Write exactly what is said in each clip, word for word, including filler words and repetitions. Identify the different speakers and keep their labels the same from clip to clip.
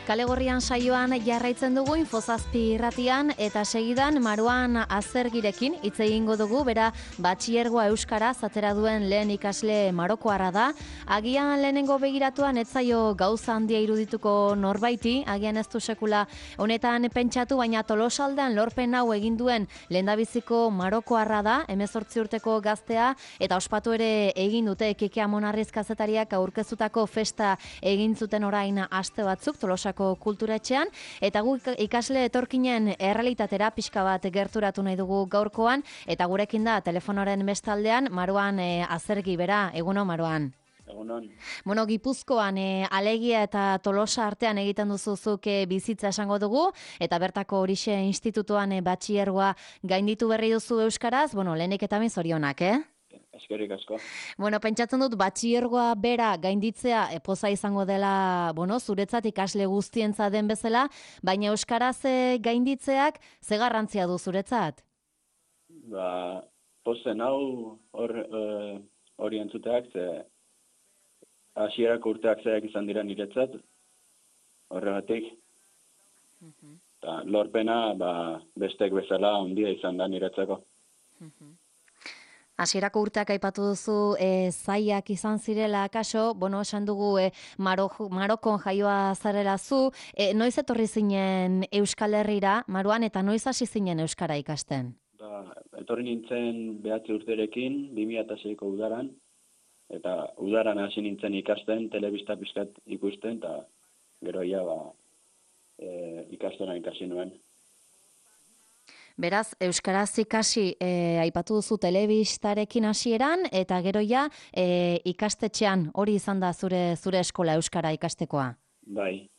Speaker 1: Kalegorrian saioan jarraitzen dugu Infozazpi irratian eta segidan Maruan Azergirekin hitz egingo dugu, bera batxilergoa euskaraz atera duen lehen ikasle marokoarra da. Agian lehenengo begiratuan ez zaio gauza handia irudituko norbaiti, agian ez du sekula honetan pentsatu, baina Tolosaldean lorpen hau egin duen lehendabiziko marokoarra da, hemezortzi urteko gaztea, eta ospatu ere egin dute Kike Amonarriz kazetariak aurkeztutako festa egin zuten orain aste batzuk Tolosako kulturetxean, eta gu ikasle etorkinen errealitatera pixka bat gerturatu nahi dugu gaurkoan, eta gurekin da telefonoren bestaldean Maruan e, Azergi, bera, eguno Maruan.
Speaker 2: Egunon.
Speaker 1: Bueno, Gipuzkoan e, Alegia eta Tolosa artean egiten duzuzuk e, bizitza esango dugu, eta bertako horixe institutuan e, batxilergoa gainditu berri duzu euskaraz, bueno, lehenik eta min zorionak, eh?
Speaker 2: Eskerrik asko.
Speaker 1: Bueno, pentsatzen dut batxilergoa bera gainditzea e, poza izango dela, bueno, zuretzat ikasle guztientza den bezala, baina euskaraz e, gainditzeak ze garrantzia du zuretzat?
Speaker 2: Ba, pozen hau hor uh, hori entzuteak, ze hasierako urteak zeak izan dira niretzat, horregatik.
Speaker 1: Uh-huh.
Speaker 2: Ta, lorpena ba, bestek bezala handia izan da niretzako.
Speaker 1: Uh-huh. Hasierako urteak aipatu duzu e, zaiak izan zirela kaso, bueno, esan dugu e, Maro, Marokon jaioa zarela zu, e, noiz etorri zinen Euskal Herrira, Maruan, eta noiz hasi zinen euskara ikasten?
Speaker 2: Ba, etorri nintzen behatzi urterekin, bi mila seiko udaran, eta udaran hasi nintzen ikasten, telebista pizkat ikusten, eta gero ia ba, e, ikastena ikasi nuen.
Speaker 1: Beraz, euskaraz ikasi e, aipatu duzu telebistarekin hasieran eta gero ja e, ikastetxean hori izan da zure zure eskola euskara ikastekoa.
Speaker 2: Bai.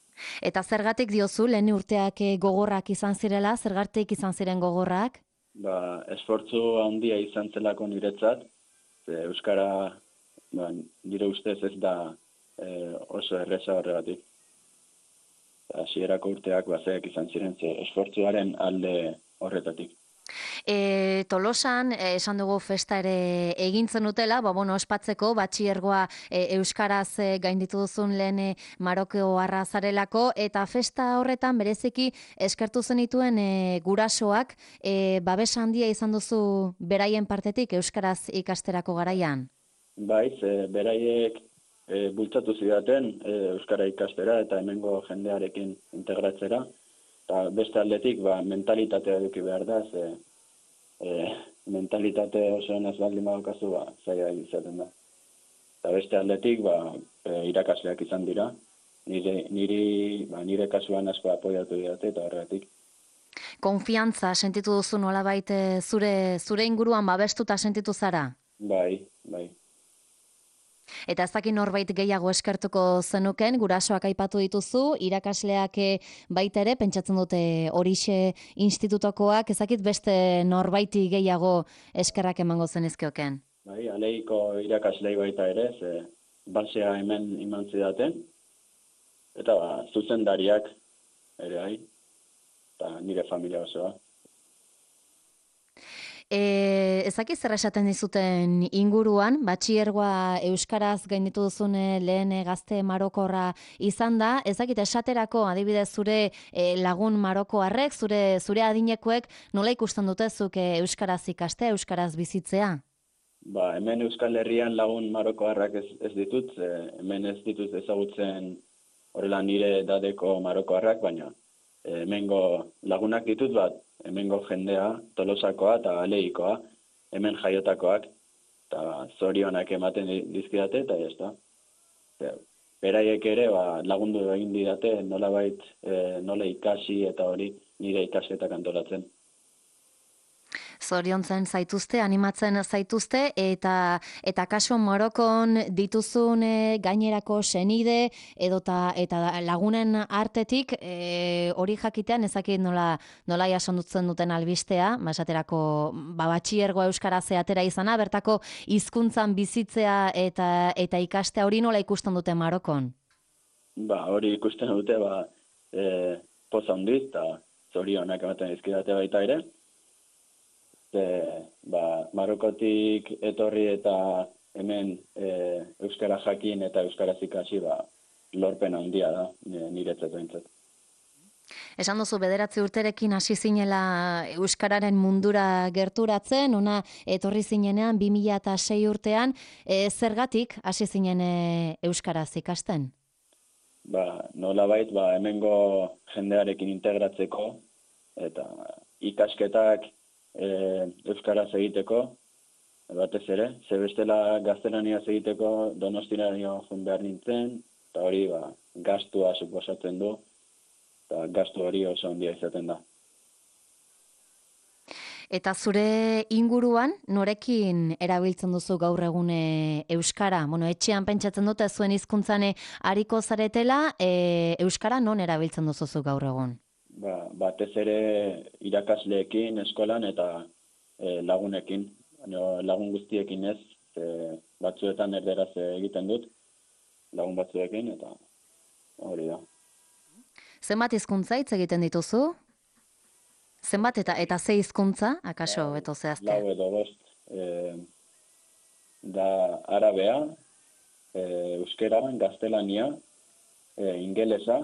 Speaker 1: Eta zergatik diozu lehen urteak e, gogorrak izan zirela, zergatik izan ziren gogorrak?
Speaker 2: Ba, esfortzu handia izan zelako niretzat, ze euskara ba, nire ustez ez da e, oso erreza horregatik. Hasierako urteak bazeak izan ziren, ze esfortzuaren alde horretatik.
Speaker 1: E, Tolosan, e, esan dugu festa ere egintzen dutela, ba, bueno, ospatzeko, batxilergoa e, euskaraz e, gainditu duzun lehen e, marokoarra zarelako, eta festa horretan bereziki eskertu zenituen e, gurasoak, e, babes handia izan duzu beraien partetik euskaraz ikasterako garaian?
Speaker 2: Bai, ze beraiek e, bultzatu zidaten e, euskara ikastera eta hemengo jendearekin integratzera. Eta beste aldetik, ba, mentalitatea eduki behar da, ze e, mentalitate oso ez baldin badaukazu, ba, zaila izaten da. Eta beste aldetik, ba, e, irakasleak izan dira, nire, niri, ba, nire kasuan asko apoiatu didate eta horregatik.
Speaker 1: Konfiantza sentitu duzu nolabait zure, zure inguruan babestuta sentitu zara?
Speaker 2: Bai, bai.
Speaker 1: Eta ez dakit norbait gehiago eskertuko zenuken, gurasoak aipatu dituzu, irakasleak baita ere, pentsatzen dute horixe institutokoak, ez dakit beste norbaiti gehiago eskerrak emango zenizkioken.
Speaker 2: Bai, aleiko irakaslei baita ere, ze basea hemen iman zidaten, eta ba, zuzendariak ere hai, eta nire familia osoa.
Speaker 1: E, ezaki zer esaten dizuten inguruan, batxilergoa euskaraz gainditu duzun lehen gazte marokorra izan da, ezakit esaterako adibidez zure e, lagun marokoarrek, zure zure adinekoek nola ikusten dute zuk e, euskaraz ikaste, euskaraz bizitzea?
Speaker 2: Ba, hemen Euskal Herrian lagun marokoarrak ez, ez ditut, e, hemen ez ditut ezagutzen horrela nire dadeko marokoarrak, baina e, hemengo lagunak ditut bat, hemengo jendea, Tolosakoa eta Aleikoa, hemen jaiotakoak, eta zorionak ematen dizkidate, eta ez da. Beraiek ere ba, lagundu egin didate, nolabait e, nola ikasi eta hori nire ikasketak antolatzen.
Speaker 1: Zoriontzen zaituzte, animatzen zaituzte, eta eta kaso Marokon dituzun e, gainerako senide edota eta lagunen artetik e, hori jakitean ezakit nola nola jasondutzen duten albistea, basaterako ba batxilergoa euskaraz atera izana, bertako hizkuntzan bizitzea eta eta ikastea hori nola ikusten dute Marokon?
Speaker 2: Ba, hori ikusten dute ba e, poza handiz eta zorionak ematen dizkidate baita ere. E, ba, Marokotik etorri eta hemen e, euskara jakin eta euskaraz ikasi ba, lorpen handia da, niretzat behintzat.
Speaker 1: Esan duzu bederatzi urterekin hasi zinela euskararen mundura gerturatzen, ona etorri zinenean bi mila sei urtean, e, zergatik hasi zinen e, euskaraz ikasten?
Speaker 2: Ba, nolabait, ba, hemengo jendearekin integratzeko eta ikasketak e, euskaraz egiteko, batez ere, ze bestela gaztelaniaz egiteko Donostiraino joan behar nintzen, eta hori ba, gastua suposatzen du, eta gastu hori oso handia izaten da.
Speaker 1: Eta zure inguruan, norekin erabiltzen duzu gaur egun e, euskara? Bueno, etxean pentsatzen dute zuen hizkuntzan ariko zaretela, e, euskara non erabiltzen duzu gaur egun?
Speaker 2: Ba, batez ere irakasleekin, eskolan eta e, lagunekin. Baina lagun guztiekin ez, e, batzuetan erderaz egiten dut, lagun batzuekin, eta hori da.
Speaker 1: Zenbat hizkuntza hitz egiten dituzu? Zenbat eta eta ze hizkuntza, akaso beto zehazte?
Speaker 2: Lau edo bost. E, da arabea, e, euskera, gaztelania, e, ingelesa,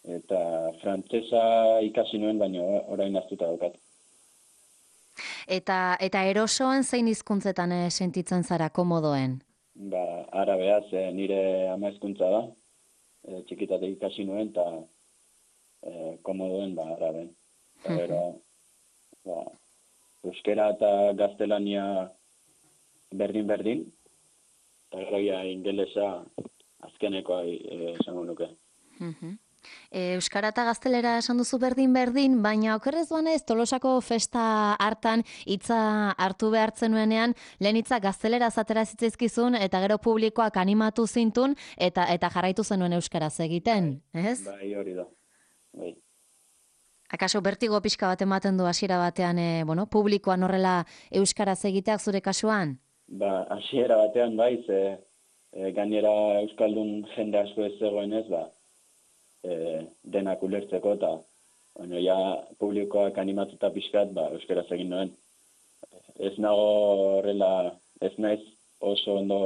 Speaker 2: eta frantsesa ikasi nuen, baina orain aztuta daukat.
Speaker 1: Eta, eta erosoan zein hizkuntzetan eh, sentitzen zara komodoen?
Speaker 2: Ba, arabea, ze nire ama hizkuntza da, e, txikitatik ikasi nuen, eta e, komodoen ba, araben. Eta gero, ba, euskera eta gaztelania berdin-berdin, eta gero ja ingelesa azkenekoa e, esango nuke.
Speaker 1: E, euskara eta gaztelera esan duzu berdin-berdin, baina okerrez duanez Tolosako festa hartan hitza hartu behartzen nuenean, lehen hitza gaztelera zatera zitzaizkizun, eta gero publikoak animatu zintun, eta eta jarraitu zenuen euskaraz egiten, ez?
Speaker 2: Bai, hori da. Bai.
Speaker 1: Akaso bertigo pixka bat ematen du hasiera batean, e, bueno, publikoan horrela euskaraz egiteak zure kasuan?
Speaker 2: Ba, hasiera batean bai, ze e, gainera euskaldun jende asko ez zegoenez, ba, e, denak ulertzeko, eta bueno, ja publikoak animatuta pixkat, ba, euskaraz egin nuen. Ez nago horrela, ez naiz oso ondo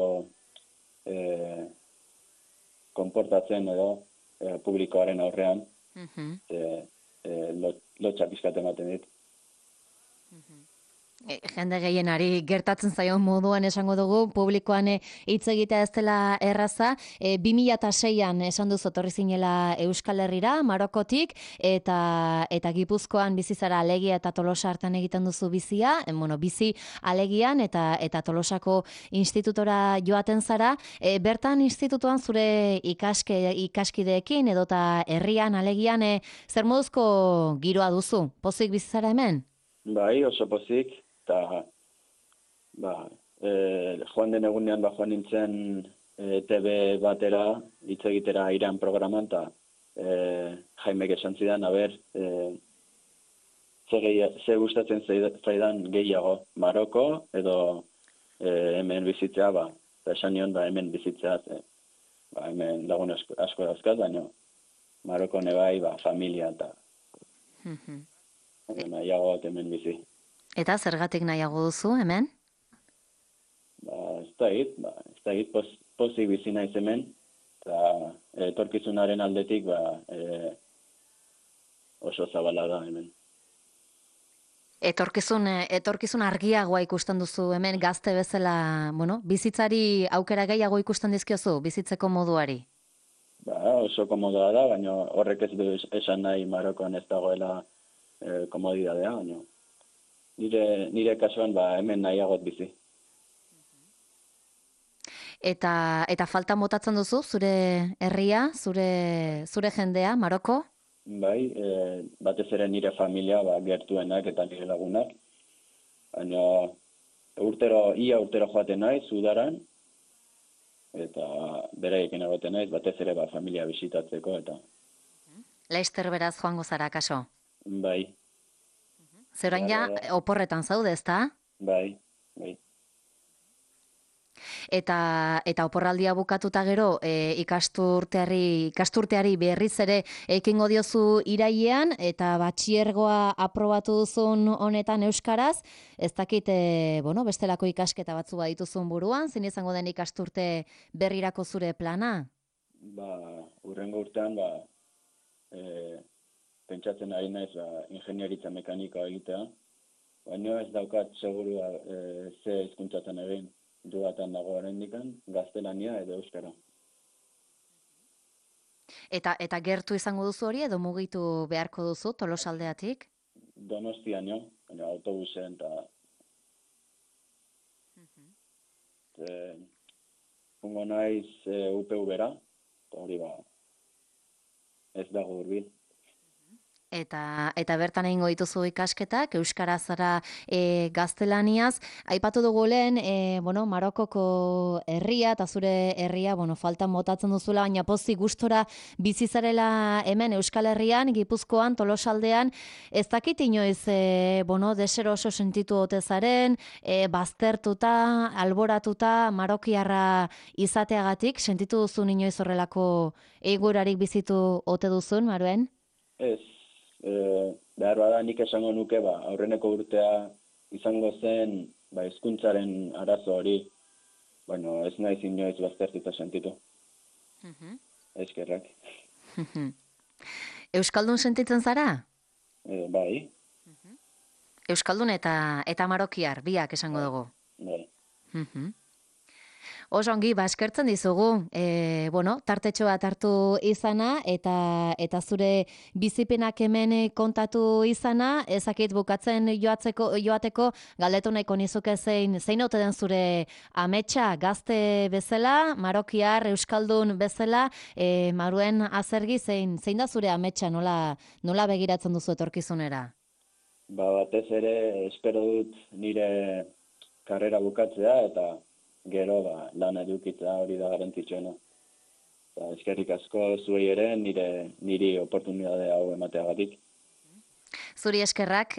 Speaker 2: e, konportatzen edo e, publikoaren aurrean,
Speaker 1: Mhm.
Speaker 2: e, e, lotxa pixkat ematen dit.
Speaker 1: E, jende gehienari gertatzen zaion moduan esango dugu, publikoan hitz egitea ez dela erraza. E, bi mila seian esan duzu etorri zinela Euskal Herrira, Marokotik, eta eta Gipuzkoan bizi zara Alegia eta Tolosa hartan egiten duzu bizia, e, bueno, bizi Alegian eta eta Tolosako institutora joaten zara. E, bertan institutuan zure ikaske, ikaskideekin edota herrian Alegian e, zer moduzko giroa duzu? Pozik bizi zara hemen?
Speaker 2: Bai, oso pozik. Eta, ba, e, joan den egunean, ba, joan nintzen e, T V batera, hitz egitera Iran programan, eta e, Jaimek esan zidan, aber, e, ze, gehi, ze gustatzen zaidan gehiago, Maroko, edo e, hemen bizitzea, ba, eta esan nion, ba, hemen bizitzea, e, ba, hemen lagun asko, asko dauzkat, baina Maroko nebai, ba, familia, eta mm-hmm. nahiago hemen bizi.
Speaker 1: Eta zergatik nahiago duzu, hemen?
Speaker 2: Ba, ez da hit, ba, ez da hit, pos, pozik bizi naiz hemen, eta etorkizunaren aldetik, ba, e, oso zabala da hemen.
Speaker 1: Etorkizun, etorkizun argiagoa ikusten duzu hemen gazte bezala, bueno, bizitzari aukera gehiago ikusten dizkiozu, bizitzeko moduari?
Speaker 2: Ba, oso komodoa da, baina horrek ez du esan nahi Marokoan ez dagoela e, komodidadea, baina Nire, nire kasuan ba, hemen nahiagot bizi.
Speaker 1: Eta, eta falta motatzen duzu, zure herria, zure, zure jendea, Maroko?
Speaker 2: Bai, e, batez ere nire familia, ba, gertuenak eta nire lagunak. Baina urtero, ia urtero joaten naiz, udaran, eta beraiekin egoten naiz, batez ere ba, familia bisitatzeko. Eta...
Speaker 1: Leister beraz joango zara, kaso?
Speaker 2: Bai.
Speaker 1: Zer orain ja, oporretan zaude, ezta?
Speaker 2: Bai, bai.
Speaker 1: Eta, eta oporraldia bukatuta gero, e, ikasturteari, ikasturteari berriz ere ekingo diozu irailean, eta batxiergoa aprobatu duzun honetan euskaraz, ez dakit, e, bueno, bestelako ikasketa batzu badituzun buruan, zein izango den ikasturte berrirako zure plana?
Speaker 2: ba, urrengo urtean, ba, e, pentsatzen ari naiz, ba, ingenieritza mekanikoa egitea, baina ez daukat segurua e, ze hizkuntzatan egin, dudatan dago oraindikan, gaztelania edo euskara.
Speaker 1: Eta eta gertu izango duzu hori edo mugitu beharko duzu Tolosaldeatik?
Speaker 2: Donostian jo, baina autobusen eta e, jungo naiz e, U P V-ra, eta hori ba, ez dago hurbil.
Speaker 1: Eta, eta bertan egingo dituzu ikasketak, euskara zara e, gaztelaniaz. Aipatu dugu lehen, e, bueno, Marokoko herria eta zure herria, bueno, faltan botatzen duzula, baina pozik gustora bizi zarela hemen Euskal Herrian, Gipuzkoan, Tolosaldean, ez dakit inoiz, e, bueno, deseroso sentitu ote zaren, e, baztertuta, alboratuta, marokiarra izateagatik, sentitu duzun inoiz horrelako egoerarik bizitu ote duzun, Maruen?
Speaker 2: Ez, e, behar bada nik esango nuke, ba, aurreneko urtea izango zen, ba, hizkuntzaren arazo hori, bueno, ez naiz inoiz baztertuta sentitu.
Speaker 1: Mhm.
Speaker 2: Eskerrak.
Speaker 1: Euskaldun sentitzen zara?
Speaker 2: E, bai.
Speaker 1: Euskaldun eta eta marokiar, biak esango dugu.
Speaker 2: Bai.
Speaker 1: Mhm. Oso ongi, ba, eskertzen dizugu, e, bueno, tartetxo bat hartu izana, eta eta zure bizipenak hemen kontatu izana, ezakit bukatzen joatzeko, joateko, galdetu nahiko nizuke zein, zein ote den zure ametsa gazte bezala, marokiar, euskaldun bezala, e, Maruen Azergi, zein, zein da zure ametsa, nola, nola begiratzen duzu etorkizunera?
Speaker 2: Ba, batez ere, espero dut nire karrera bukatzea, eta gero ba, lan edukitzea hori da garrantzitsuena. Ba, eskerrik asko zuei ere nire niri oportunitate hau emateagatik.
Speaker 1: Zuri eskerrak.